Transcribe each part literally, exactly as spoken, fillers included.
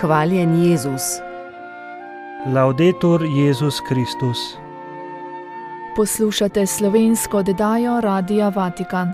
Hvaljen Jezus. Laudetur Jezus Kristus. Poslušate slovensko oddajo Radia Vatikan.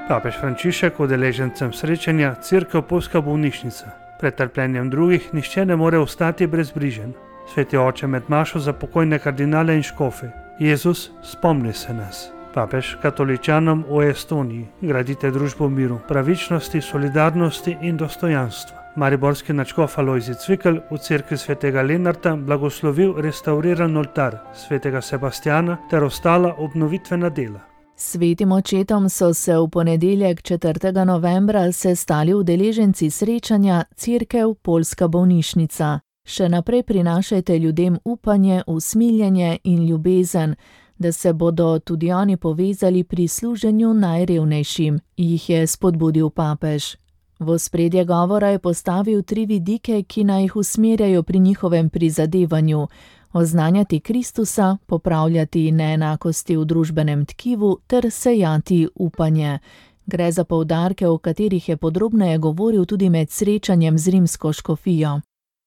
Papež Frančišek udeležencem srečanja Cerkev Poljska bolnišnica. Pred trpljenjem drugih nihče ne more ostati brezbrižen. Sveti oče med mašo za pokojne kardinale in škofe. Jezus, spomni se nas. Papež katoličanom v Estoniji: gradite družbo miru, pravičnosti, solidarnosti in dostojanstva. Mariborski nadškof Alojzij Cvikl v cerkvi svetega Lenarta blagoslovil restauriran oltar svetega Sebastjana ter ostala obnovitvena dela. Svetim očetom so se v ponedeljek četrtega novembra sestali udeleženci srečanja Cerkev Poljska bolnišnica. Še naprej prinašajte ljudem upanje, usmiljenje in ljubezen, da se bodo tudi oni povezali pri služenju najrevnejšim, jih je spodbudil papež. V ospredje govora je postavil tri vidike, ki naj jih usmerjajo pri njihovem prizadevanju: oznanjati Kristusa, popravljati neenakosti v družbenem tkivu ter sejati upanje. Gre za poudarke, o katerih je podrobneje govoril tudi med srečanjem z rimsko škofijo.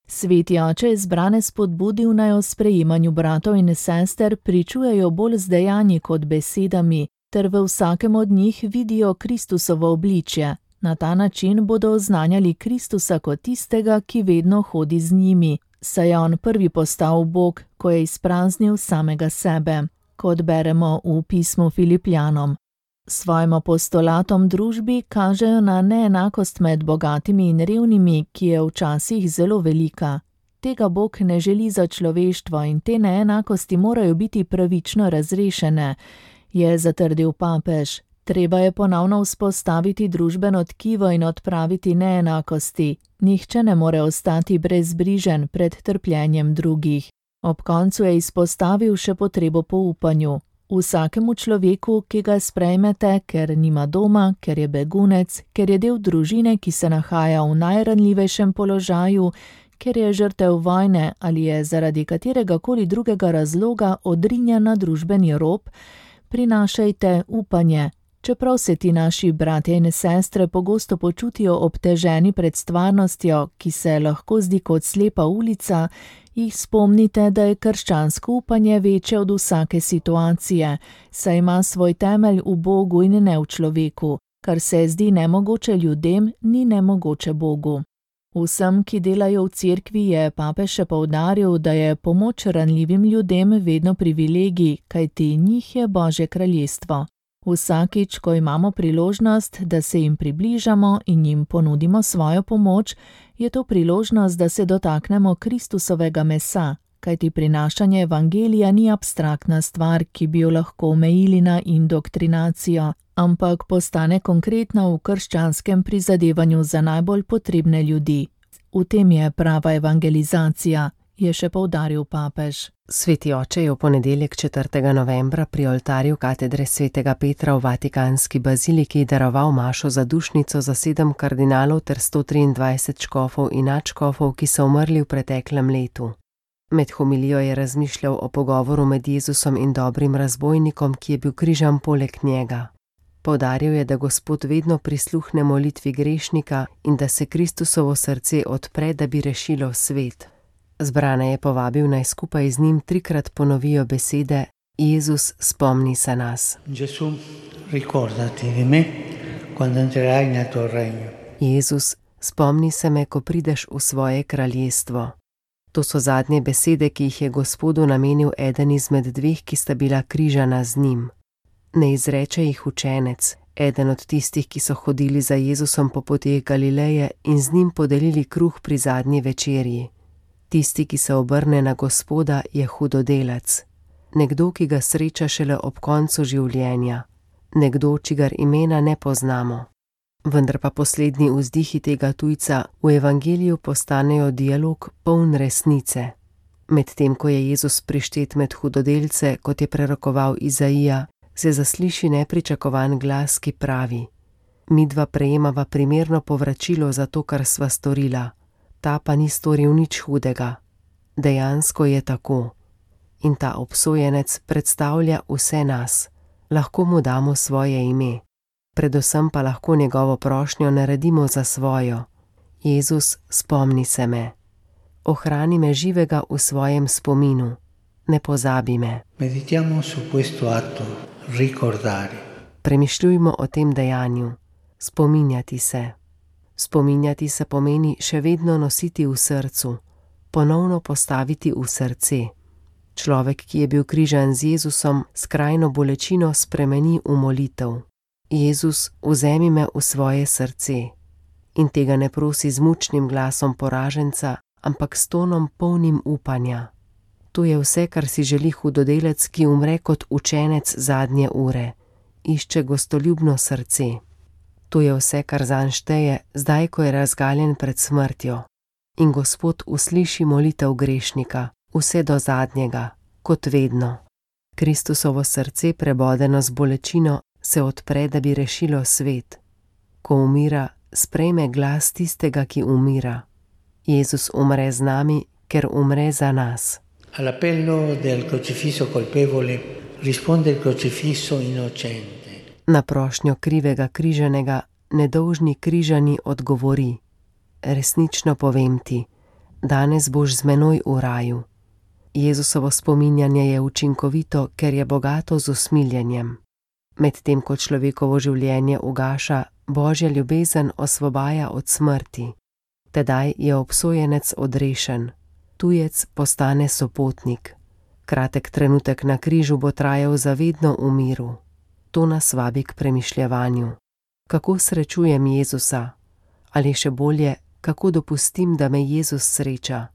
Sveti oče je zbrane spodbudil, naj o sprejemanju bratov in sester pričujejo bolj z dejanji kot besedami, ter v vsakem od njih vidijo Kristusovo obličje. Na ta način bodo oznanjali Kristusa kot tistega, ki vedno hodi z njimi, saj je on prvi postal Bog, ko je izpraznil samega sebe, kot beremo v pismu Filipljanom. Svojim apostolatom družbi kažejo na neenakost med bogatimi in revnimi, ki je včasih zelo velika. Tega Bog ne želi za človeštvo in te neenakosti morajo biti pravično razrešene, je zatrdil papež. Treba je ponovno vzpostaviti družbeno tkivo in odpraviti neenakosti. Nihče ne more ostati brezbrižen pred trpljenjem drugih. Ob koncu je izpostavil še potrebo po upanju. Vsakemu človeku, ki ga sprejmete, ker nima doma, ker je begunec, ker je del družine, ki se nahaja v najranljivejšem položaju, ker je žrtev vojne ali je zaradi katerega koli drugega razloga odrinjen na družbeni rob, prinašajte upanje. Čeprav se ti naši bratje in sestre pogosto počutijo obteženi pred stvarnostjo, ki se lahko zdi kot slepa ulica, jih spomnite, da je krščansko upanje večje od vsake situacije, saj ima svoj temelj v Bogu in ne v človeku. Kar se zdi nemogoče ljudem, ni nemogoče Bogu. Vsem, ki delajo v cerkvi, je papež še poudaril, da je pomoč ranljivim ljudem vedno privilegij, kajti njih je Božje kraljestvo. Vsakič, ko imamo priložnost, da se jim približamo in jim ponudimo svojo pomoč, je to priložnost, da se dotaknemo Kristusovega mesa, kajti prinašanje evangelija ni abstraktna stvar, ki bi jo lahko omejili na indoktrinacijo, ampak postane konkretna v krščanskem prizadevanju za najbolj potrebne ljudi. V tem je prava evangelizacija, je še poudaril papež. Sveti oče je v ponedeljek četrtega novembra pri oltarju katedre svetega Petra v Vatikanski baziliki daroval mašo za dušnico za sedem kardinalov ter sto triindvajset škofov in nadškofov, ki so umrli v preteklem letu. Med homilijo je razmišljal o pogovoru med Jezusom in dobrim razbojnikom, ki je bil križan poleg njega. Poudaril je, da Gospod vedno prisluhne molitvi grešnika in da se Kristusovo srce odpre, da bi rešilo svet. Zbrane je povabil, naj skupaj z njim trikrat ponovijo besede: Jezus, spomni se nas. Gesù, ricordati di me quando entrerai nel tuo regno. Jezus, spomni se me, ko prideš v svoje kraljestvo. To so zadnje besede, ki jih je Gospodu namenil eden izmed dveh, ki sta bila križana z njim. Ne izreče jih učenec, eden od tistih, ki so hodili za Jezusom po poteh Galileje in z njim podelili kruh pri zadnji večerji. Tisti, ki se obrne na Gospoda, je hudodelec. Nekdo, ki ga sreča šele ob koncu življenja. Nekdo, čigar imena ne poznamo. Vendar pa poslednji vzdihi tega tujca v evangeliju postanejo dialog poln resnice. Medtem ko je Jezus prištet med hudodelce, kot je prerokoval Izaija, se zasliši nepričakovan glas, ki pravi: midva prejemava primerno povračilo za to, kar sva storila. Ta pa ni storil nič hudega. Dejansko je tako. In ta obsojenec predstavlja vse nas. Lahko mu damo svoje ime. Predvsem pa lahko njegovo prošnjo naredimo za svojo. Jezus, spomni se me. Ohrani me živega v svojem spominu, ne pozabi me. Meditiamo su questo atto, ricordare. Premišljujmo o tem dejanju, spominjati se. Spominjati se pomeni še vedno nositi v srcu, ponovno postaviti v srce. Človek, ki je bil križan z Jezusom, skrajno bolečino spremeni v molitev. Jezus, vzemi me v svoje srce. In tega ne prosi z mučnim glasom poraženca, ampak s tonom polnim upanja. To je vse, kar si želi hudodelec, ki umre kot učenec zadnje ure. Išče gostoljubno srce. To je vse, kar zanj šteje, zdaj, ko je razgaljen pred smrtjo. In Gospod usliši molitev grešnika, vse do zadnjega, kot vedno. Kristusovo srce, prebodeno z bolečino, se odpre, da bi rešilo svet. Ko umira, sprejme glas tistega, ki umira. Jezus umre z nami, ker umre za nas. All'appello del crocifisso colpevole risponde il crocifisso innocente. Na prošnjo krivega križanega, nedolžni križani odgovori: resnično povem ti, danes boš z menoj v raju. Jezusovo spominjanje je učinkovito, ker je bogato z usmiljenjem. Medtem ko človekovo življenje ugaša, Božja ljubezen osvobaja od smrti. Tedaj je obsojenec odrešen, tujec postane sopotnik. Kratek trenutek na križu bo trajal zavedno v miru. To nas vabi k premišljevanju. Kako srečujem Jezusa? Ali še bolje, kako dopustim, da me Jezus sreča?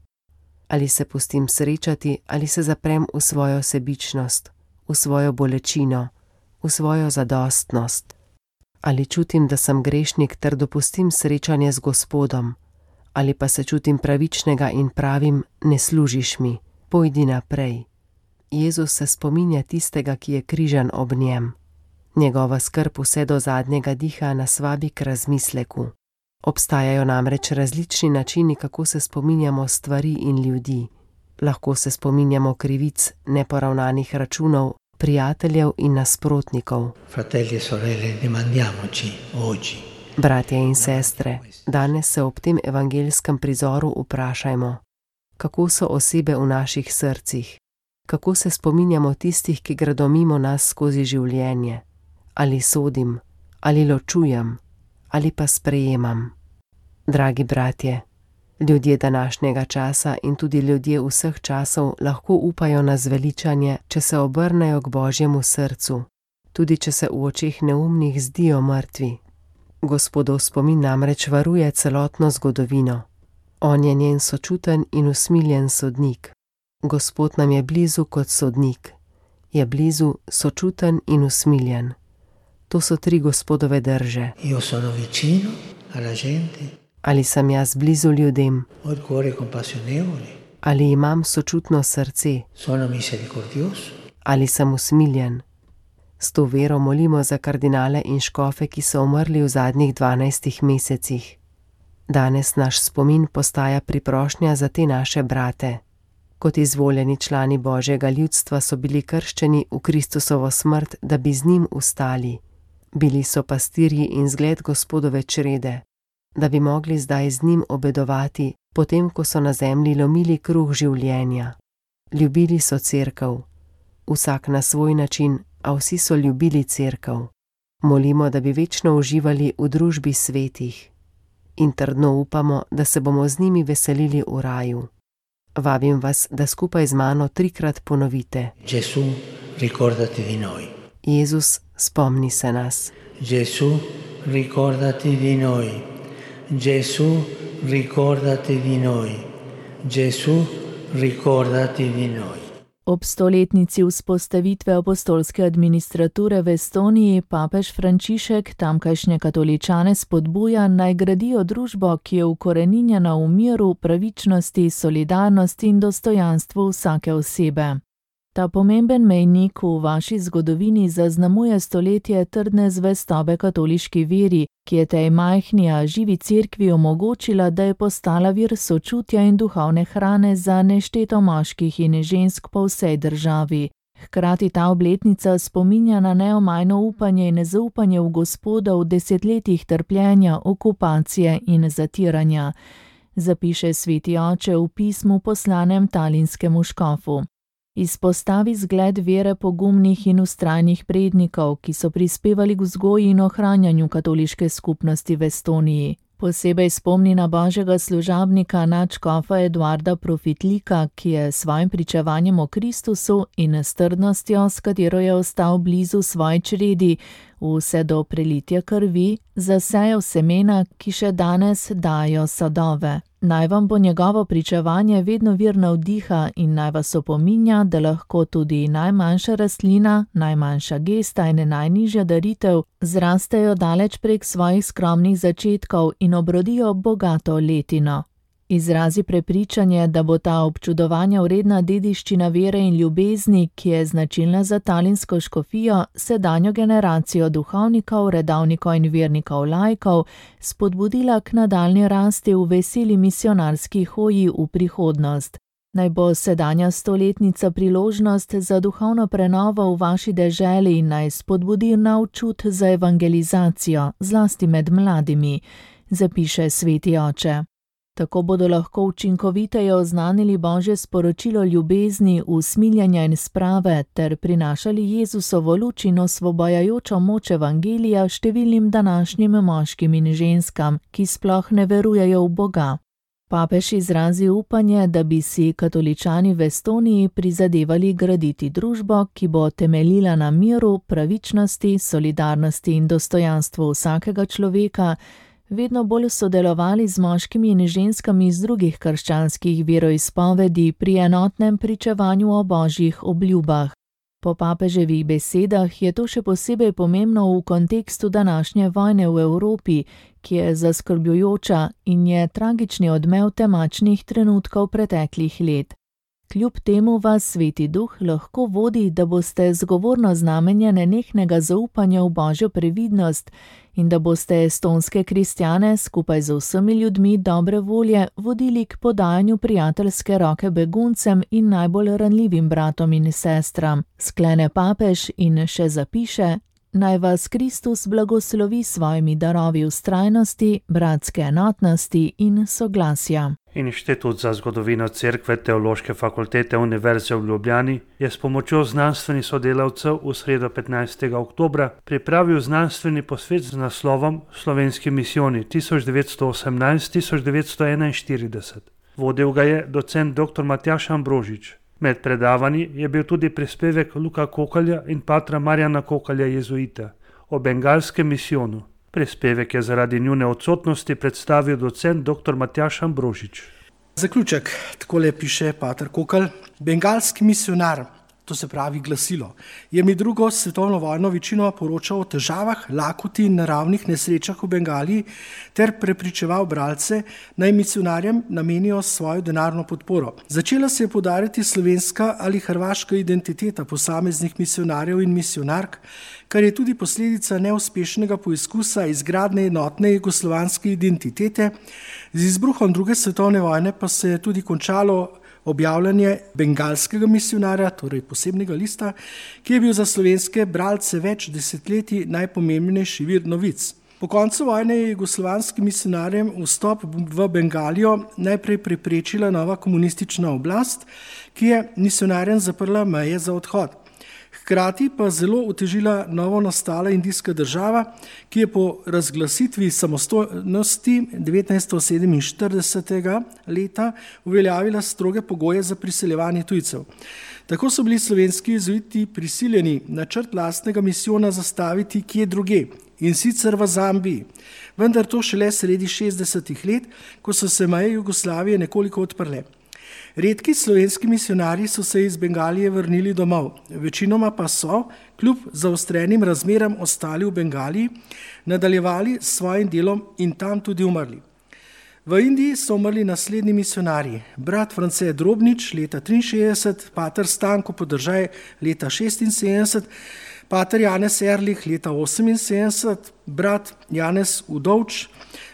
Ali se pustim srečati, ali se zaprem v svojo sebičnost, v svojo bolečino, v svojo zadostnost? Ali čutim, da sem grešnik, ter dopustim srečanje z Gospodom? Ali pa se čutim pravičnega in pravim: ne služiš mi, pojdi naprej. Jezus se spominja tistega, ki je križan ob njem. Njegova skrb vse do zadnjega diha nas vabi k razmisleku. Obstajajo namreč različni načini, kako se spominjamo stvari in ljudi. Lahko se spominjamo krivic, neporavnanih računov, prijateljev in nasprotnikov. Fratelli e sorelle, domandiamoci oggi. Bratje in sestre, danes se ob tem evangelskem prizoru vprašajmo, kako so osebe v naših srcih, kako se spominjamo tistih, ki gredo mimo nas skozi življenje. Ali sodim, ali ločujem, ali pa sprejemam. Dragi bratje, ljudje današnjega časa in tudi ljudje vseh časov lahko upajo na zveličanje, če se obrnejo k Božjemu srcu, tudi če se v očeh neumnih zdijo mrtvi. Gospodov spomin namreč varuje celotno zgodovino. On je njen sočuten in usmiljen sodnik. Gospod nam je blizu kot sodnik. Je blizu, sočuten in usmiljen. To so tri Gospodove drže. Io sono vicino alla gente. Ali sem jaz blizu ljudem? Ho il cuore compassionevole. Ali imam sočutno srce? Sono misericordioso. Ali sem usmiljen? S to vero molimo za kardinale in škofe, ki so umrli v zadnjih dvanajstih mesecih. Danes naš spomin postaja priprošnja za te naše brate. Kot izvoljeni člani Božjega ljudstva so bili krščeni v Kristusovo smrt, da bi z njim ustali. Bili so pastirji in zgled Gospodove črede, da bi mogli zdaj z njim obedovati, potem ko so na zemlji lomili kruh življenja. Ljubili so cerkev, vsak na svoj način, a vsi so ljubili cerkev. Molimo, da bi večno uživali v družbi svetih. In trdno upamo, da se bomo z njimi veselili v raju. Vabim vas, da skupaj z mano trikrat ponovite: Gesù, ricordati di noi. Jezus, spomni se nas. Gesù, ricordati di noi. Gesù, ricordati di noi. Gesù, ricordati di noi. Ob stoletnici vzpostavitve apostolske administrature v Estoniji papež Frančišek tamkajšnje katoličane spodbuja, naj gradijo družbo, ki je ukoreninjena v miru, pravičnosti, solidarnosti in dostojanstvu vsake osebe. Ta pomemben mejnik v vaši zgodovini zaznamuje stoletje trdne zvestobe katoliški veri, ki je tej majhni, a živi cerkvi omogočila, da je postala vir sočutja in duhovne hrane za nešteto moških in žensk po vsej državi. Hkrati ta obletnica spominja na neomajno upanje in zaupanje v Gospoda v desetletjih trpljenja, okupacije in zatiranja. zapiše sveti oče v pismu poslanem talinskemu škofu. Izpostavi zgled vere pogumnih in vztrajnih prednikov, ki so prispevali k vzgoji in ohranjanju katoliške skupnosti v Estoniji. Posebej spomni na božjega služabnika nadškofa Eduarda Profitlika, ki je s svojim pričevanjem o Kristusu in s trdnostjo, s katero je ostal blizu svoji čredi, vse do prelitja krvi, zasejal semena, ki še danes dajo sadove. Naj vam bo njegovo pričevanje vedno vir navdiha in naj vas opominja, da lahko tudi najmanjša rastlina, najmanjša gesta in najnižja daritev zrastejo daleč prek svojih skromnih začetkov in obrodijo bogato letino. Izrazi prepričanje, da bo ta občudovanja vredna dediščina vere in ljubezni, ki je značilna za talinsko škofijo, sedanjo generacijo duhovnikov, redavnikov in vernikov laikov, spodbudila k nadaljnji rasti v veseli misionarski hoji v prihodnost. Naj bo sedanja stoletnica priložnost za duhovno prenovo v vaši deželi in naj spodbudi nov čut za evangelizacijo, zlasti med mladimi, zapiše sveti oče. Tako bodo lahko učinkoviteje oznanili božje sporočilo ljubezni, usmiljenja in sprave ter prinašali Jezusovo luč in osvobajajočo moč evangelija številnim današnjim moškim in ženskam, ki sploh ne verujejo v Boga. Papež izrazi upanje, da bi si katoličani v Estoniji prizadevali graditi družbo, ki bo temeljila na miru, pravičnosti, solidarnosti in dostojanstvu vsakega človeka, vedno bolj sodelovali z moškimi in ženskami iz drugih krščanskih veroizpovedi pri enotnem pričevanju o božjih obljubah. Po papeževih besedah je to še posebej pomembno v kontekstu današnje vojne v Evropi, ki je zaskrbljujoča in je tragični odmev temačnih trenutkov preteklih let. Kljub temu vas sveti duh lahko vodi, da boste zgovorno znamenje nenehnega zaupanja v božjo previdnost in da boste estonske kristjane skupaj z vsemi ljudmi dobre volje vodili k podajanju prijateljske roke beguncem in najbolj ranljivim bratom in sestram, sklene papež in še zapiše: Naj vas Kristus blagoslovi s svojimi darovi vztrajnosti, bratske enotnosti in soglasja. Inštitut za zgodovino Cerkve Teološke fakultete Univerze v Ljubljani je s pomočjo znanstvenih sodelavcev v sredo petnajstega oktobra pripravil znanstveni posvet z naslovom Slovenski misijoni tisoč devetsto osemnajst do tisoč devetsto enainštirideset. Vodil ga je docent dr. Matjaž Ambrožič. Med predavanji je bil tudi prispevek Luka Kokalja in patra Marjana Kokalja jezuita o bengalskem misijonu. Prispevek je zaradi njune odsotnosti predstavil docent dr. Matjaž Ambrožič. Zaključek, takole piše pater Kokalj. Bengalski misionar, to se pravi glasilo, je med drugo svetovno vojno večino poročal o težavah, lakoti in naravnih nesrečah v Bengaliji ter prepričeval bralce, naj misionarjem namenijo svojo denarno podporo. Začela se je poudarjati slovenska ali hrvaška identiteta posameznih misionarjev in misionark, kar je tudi posledica neuspešnega poizkusa izgradnje enotne jugoslovanske identitete. Z izbruhom druge svetovne vojne pa se je tudi končalo objavljanje bengalskega misionarja, torej posebnega lista, ki je bil za slovenske bralce več desetletij najpomembnejši vir novic. Po koncu vojne je jugoslovanskim misionarjem vstop v Bengalijo najprej preprečila nova komunistična oblast, ki je misionarjem zaprla meje za odhod. Hkrati pa zelo otežila novo nastala indijska država, ki je po razglasitvi samostojnosti devetnajststo sedeminštiridesetega leta uveljavila stroge pogoje za priseljevanje tujcev. Tako so bili slovenski jezuiti prisiljeni načrt lastnega misijona zastaviti kje druge, in sicer v Zambiji, vendar to šele sredi šestdesetih let, ko so se meje Jugoslavije nekoliko odprle. Redki slovenski misionarji so se iz Bengalije vrnili domov, večinoma pa so, kljub zaostrenim razmeram, ostali v Bengaliji, nadaljevali s svojim delom in tam tudi umrli. V Indiji so umrli naslednji misionarji: brat France Drobnič leta triinšestdeset, pater Stanko Podržaj leta šestinsedemdeset, pater Janez Erlich leta oseminsedemdeset, brat Janez Udovč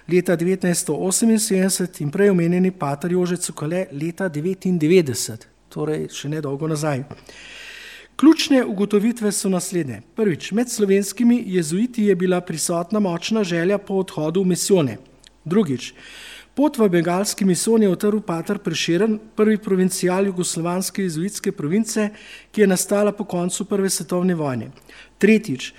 leta devetnajststo oseminsedemdeset in prej omenjeni pater Jože Cukale leta devetindevetdeset, torej še nedolgo nazaj. Ključne ugotovitve so naslednje. Prvič, med slovenskimi jezuiti je bila prisotna močna želja po odhodu v misijone. Drugič, Pot v bengalski misijon je utrl pater Prešeren, prvi provincial jugoslovanske jezuitske province, ki je nastala po koncu prve svetovne vojne. Tretjič,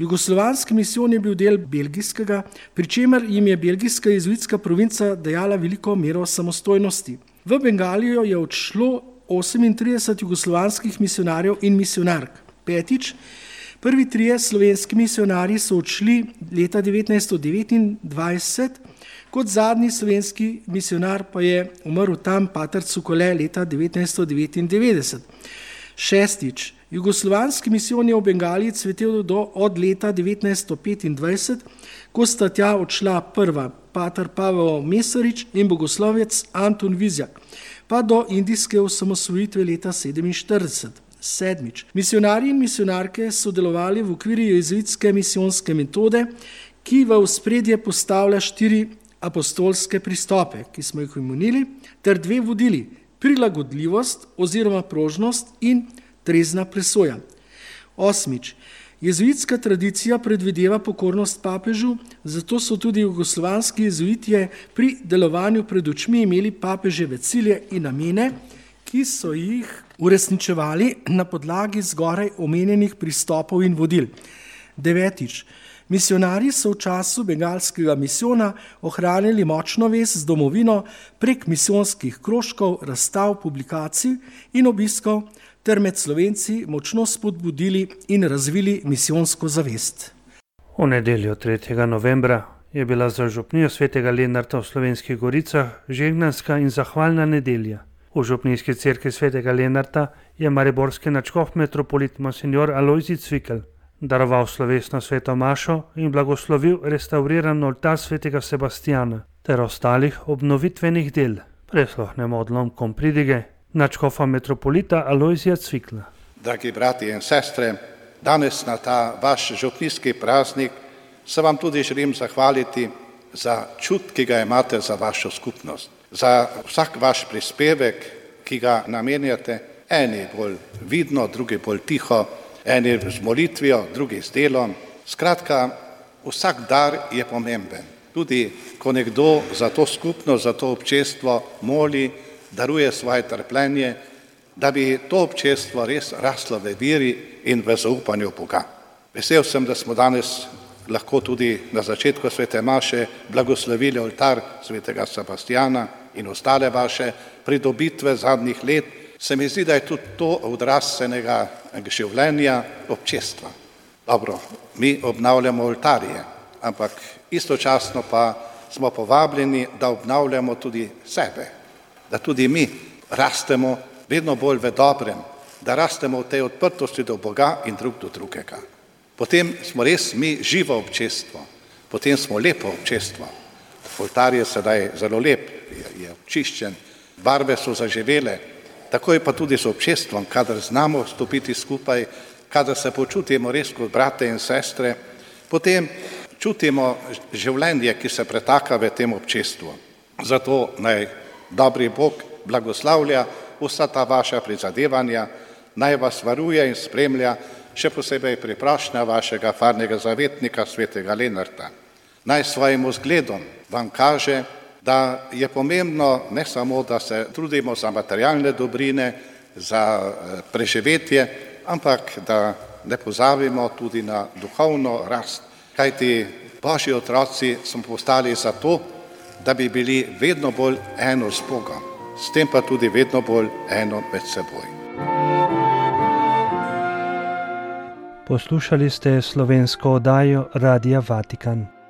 jugoslovanski misijon je bil del belgijskega, pri čemer jim je belgijska jezuitska provinca dajala veliko mero samostojnosti. V Bengalijo je odšlo osemintrideset jugoslovanskih misionarjev in misionark. Petič, prvi trije slovenski misionarji so odšli leta devetnajststo devetindvajset, kot zadnji slovenski misionar pa je umrl tam pater Cukole leta devetnajststo devetindevetdeset. Šestič, jugoslovanski misijon je v Bengaliji cvetel do od leta devetnajststo petindvajset, ko sta tja odšla prva pater Pavel Mesarič in bogoslovec Anton Vizjak, pa do indijske osamosvojitve leta sedeminštirideset. Sedmič, misionarji in misionarke so delovali v okviru jezuitske misijonske metode, ki v ospredje postavlja štiri apostolske pristope, ki smo jih omenili, ter dve vodili, prilagodljivost oziroma prožnost in trezna presoja. Osmič, jezuitska tradicija predvideva pokornost papežu, zato so tudi jugoslovanski jezuitje pri delovanju pred očmi imeli papeževe cilje in namene, ki so jih uresničevali na podlagi zgoraj omenjenih pristopov in vodil. Devetič, misionarji so v času bengalskega misijona ohranili močno vez z domovino prek misijonskih krožkov, razstav, publikacij in obiskov ter med Slovenci močno spodbudili in razvili misijonsko zavest. V nedeljo tretjega novembra je bila za župnijo svetega Lenarta v Slovenskih goricah žegnanska in zahvalna nedelja. V župnijski cerkvi svetega Lenarta je mariborski nadškof metropolit monsignor Alojzij Cvikl daroval slovesno sveto mašo in blagoslovil restavriran oltar svetega Sebastijana ter ostalih obnovitvenih del. Prisluhnemo odlomkom pridige nadškofa metropolita Alojzija Cvikla. Dragi brati in sestre, danes na ta vaš župnijski praznik se vam tudi želim zahvaliti za čut, ki ga imate za vašo skupnost, za vsak vaš prispevek, ki ga namenjate, eni bolj vidno, drugi bolj tiho, eni z molitvijo, drugi z delom. Skratka, vsak dar je pomemben. Tudi ko nekdo za to skupnost, za to občestvo moli, daruje svoje trpljenje, da bi to občestvo res raslo v veri in v zaupanju Boga. Vesel sem, da smo danes lahko tudi na začetku svete maše blagoslovili oltar svetega Sebastijana in ostale vaše pridobitve zadnjih let. Se mi zdi, da je tudi to odraz enega življenja občestva. Dobro, mi obnavljamo oltarje, ampak istočasno pa smo povabljeni, da obnavljamo tudi sebe, da tudi mi rastemo vedno bolj v dobrem, da rastemo v tej odprtosti do Boga in drug do drugega. Potem smo res mi živo občestvo, potem smo lepo občestvo. Oltar je sedaj zelo lep, je, je očiščen, barve so zaživele, tako je pa tudi z občestvom, kadar znamo stopiti skupaj, kadar se počutimo res kot brate in sestre, potem čutimo življenje, ki se pretaka v tem občestvu. Zato naj dobri Bog blagoslavlja vsa ta vaša prizadevanja, naj vas varuje in spremlja, še posebej pri prošnji vašega farnega zavetnika svetega Lenarta. Naj svojim vzgledom vam kaže, da je pomembno ne samo, da se trudimo za materialne dobrine, za preživetje, ampak da ne pozabimo tudi na duhovno rast. Kajti Božji otroci smo postali zato, da bi bili vedno bolj eno z Bogom, s tem pa tudi vedno bolj eno med seboj. Poslušali ste slovensko oddajo Radia Vatikan.